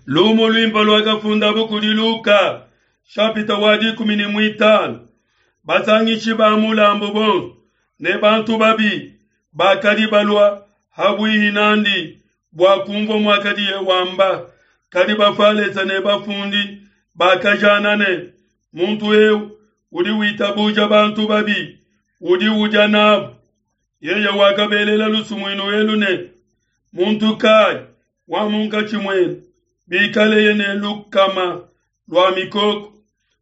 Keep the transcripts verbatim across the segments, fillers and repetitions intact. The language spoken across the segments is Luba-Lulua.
Lumu luimpe luakafundabo kudi Luka, shapita wa dikumi ne muitanu. Basangishi ba mulambu bonso ne bantu babi bakadi balua habuihi nandi bua kunvua muakadiye wamba. Kadi Bafalesa ne bafundi bakajana ne, muntu eu udi witabuja bantu babi, udi udia nabo. Yeye wakabelela lusumuinu elu ne, muntu kai wa munkatshi muenu bikaleye ne lukama lua mikoko,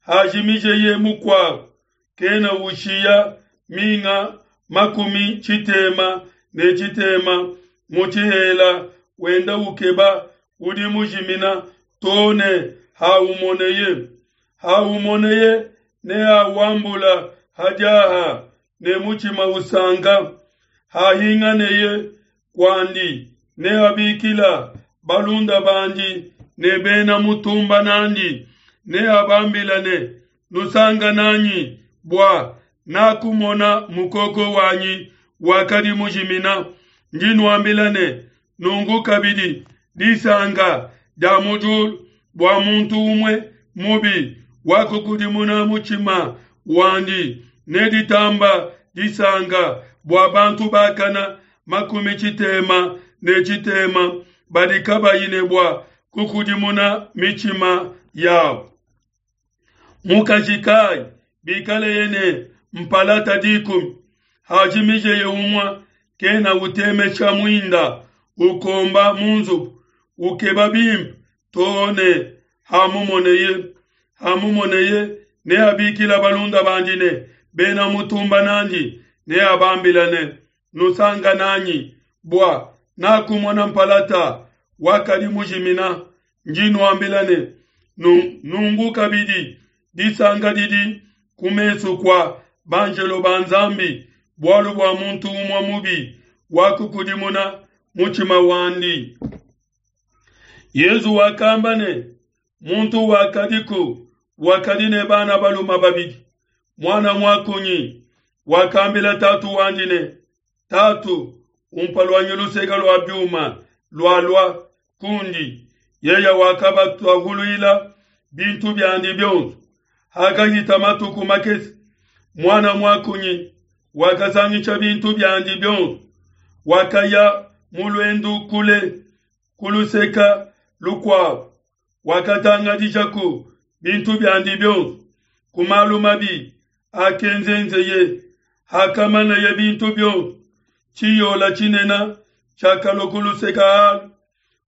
hajimijeye mukuabo, kena ushiya minga makumi tshitema ne tshitema mu tshihela, wenda ukeba udi mujimina to ne haumoneye. Haumoneye neawambula hadiaha ne mutshima usanka. Hahinganeye kuandi neabikila balunda bandi ne bena mutumba nandi, neabambila ne, Nusanka nanyi bua nakumona mukoko wanyi wakadi mujimina. Ndi nuambila ne, nunku kabidi disanka dia mu diulu bua muntu umue mubi wakukudimuna mutshima wandi neditamba disanka bua bantu bakana makumi tshitema ne tshitema badi kabayi ne bua kukudimuna mitshima yabo. Mukaji kai bikaleye ne mpalata dikumi, hajimijeye umue, kena utemesha muinda, ukomba mu nzubu, ukeba bimpe to ne hamumoneye. Hamumoneye neabikila balunda bandi ne bena mutumba nandi, neabambila ne, Nusanka nanyi bua nakumona mpalata wakadi mujimina. Ndi nuambila ne, nungu kabidi disanka didi ku mesu kua banjelo ba Nzambi bualu bua muntu umue mubi wakukudimuna mutshima wandi. Yezu wakamba ne, muntu wakadiku wakadi ne bana balume babidi. Mwana muakunyi wakambila tatu wandi ne, Tatu, umpa luanyi luseke lua biuma lualua kundi. Yeye wakabatahuluila bintu biandi bionso. Hakahita matuku makese, mwana muakunyi wakasangisha bintu biandi bionso, wakaya mu luendu kule ku luseka lukuabo, wakatangadishaku bintu biandi bionso ku malu mabi akenzenzeye. Hakamaneye bintu bionso, tshiyola tshinene tshiakalua ku luseka alu,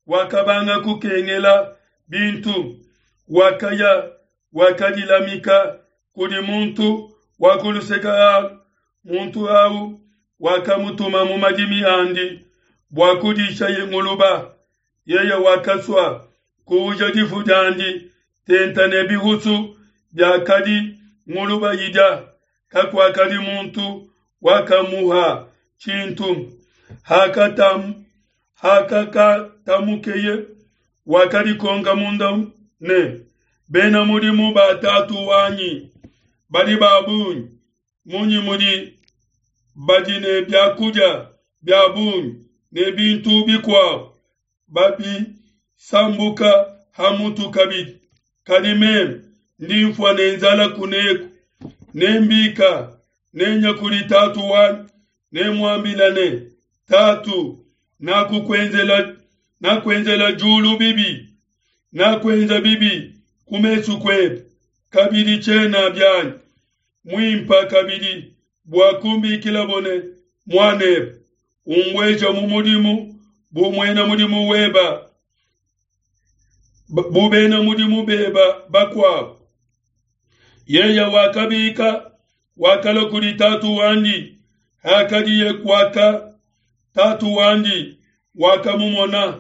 wakabanga kukengela bintu, wakaya wakadilamika kudi muntu wa ku luseka alu. Muntu au wakamutuma mu madimi andi bua kudishaye nguluba. Yeye wakasua kuuja difu diandi tenta ne bihusu biakadi nguluba idia, kakuakadi muntu wakamuha tshintu. Hakatam hakakatamukeye wakadikonka munda ne, bena mudimu ba tatu wanyi badi ba bungi, munyi mudi badi ne biakudia bia bungi ne bintu bikuabo babisambuka ha mutu kabidi, kadi meme ndi mfua ne nzala kuneku. Nembika nenya kudi tatu wanyi, nemuambila ne, Tatu, nakukuenzela nakuenzela diulu bibi, nakuenza bibi ku mesu kuebe, kabidi tshiena bianyi muimpa kabidi bua kumbikilabo ne muanebe, umbueja mu mudimu bu muena mudimu weba, bu bena mudimu beba bakuabo. Yeye wakabika wakalua kudi tatu wandi. Hakadiye kuaka, tatu wandi wakamumona,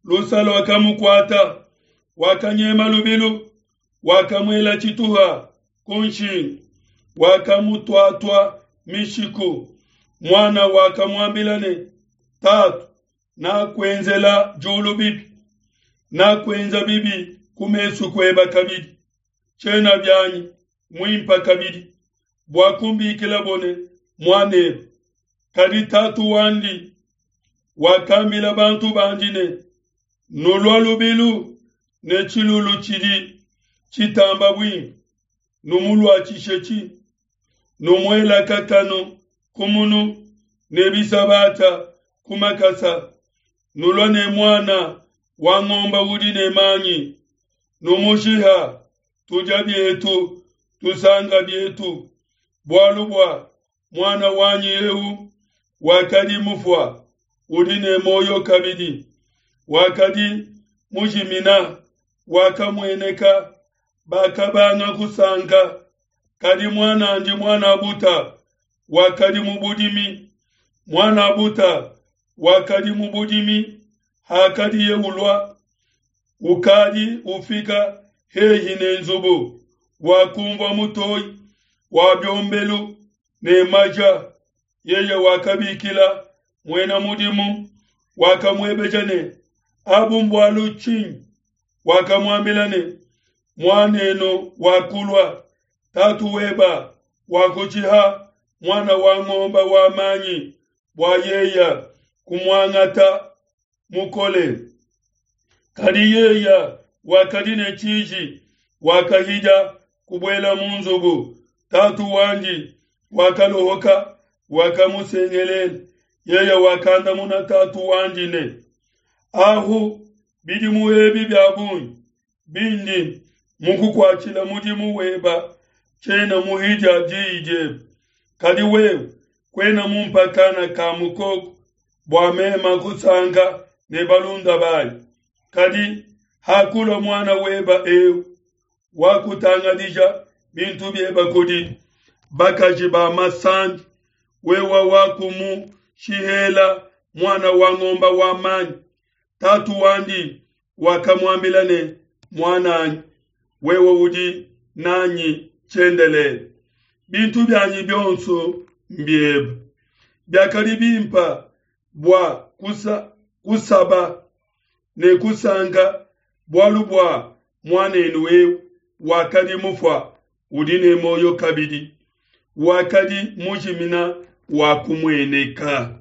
lusa luakamukuata, wakanyema lubilu, wakamuela tshituha ku nshingu, wakamutuatua mishiku. Mwana wakamuambila ne, Tatu, nakuenzela diulu bibi, nakuenza bibi ku mesu kueba kabidi, tshiena bianyi muimpa kabidi bua kumbikilabo ne muanebe. Kadi tatu wandi wakambila bantu bandi ne, Nulua lubilu, ne tshilulu tshidi tshitamba buimpe, numuluatshishetshi. Numuela kakanu ku munu ne bisabata ku makasa. Nulua ne muana wa ngomba udi ne manyi, numushiha, tudia bietu, tusanka bietu, bualu bua muana wanyi eu wakadi mufua, udi ne muoyo kabidi, wakadi mujimina, wakamueneka. Bakabanga kusanka. Kadi muan'andi muan'a buta wakadi mu budimi, muan'a buta wakadi mu budimi, hakadiye ulua, ukadi ufika hehi ne nzubu, wakunvua mutoyi wa biombelu ne maja. Yeye wakabikila muena mudimu, wakamuebeja ne, Abu mbualu tshinyi? Wakamuambila ne, Muan'enu wakulua, tatu weba wakushiha muana wa ngombe wa manyi bua yeye kumuangata mukole. Kadi yeye wakadi ne tshiji, wakahidia kubuela mu nzubu. Tatu wandi wakalohoka, wakamusengelela. Yeye wakandamuna tatu wandi ne, Ahu bidimu ebi bia bungi bindi mukukuatshila mudimu weba, tshiena muhidia diyi diebe. Kadi wewe kuena mumpa kana ka mukoko bua mema kusanka ne balunda banyi. Kadi hakulua muana weba eu, wakutangadija bintu bieba kudi bakaji ba masandi, wewe wakumushihela muana wa ngombe wa manyi. Tatu wandi wakamuambila ne, Muan'anyi, wewe udi nanyi tshiendelele, bintu bianyi bionso mbiebe. Biakadi bimpa bua kusa, kusaba ne kusanka bualu bua muan'enu eu wakadi mufua, udi ne muoyo kabidi, wakadi mujimina wakumueneka.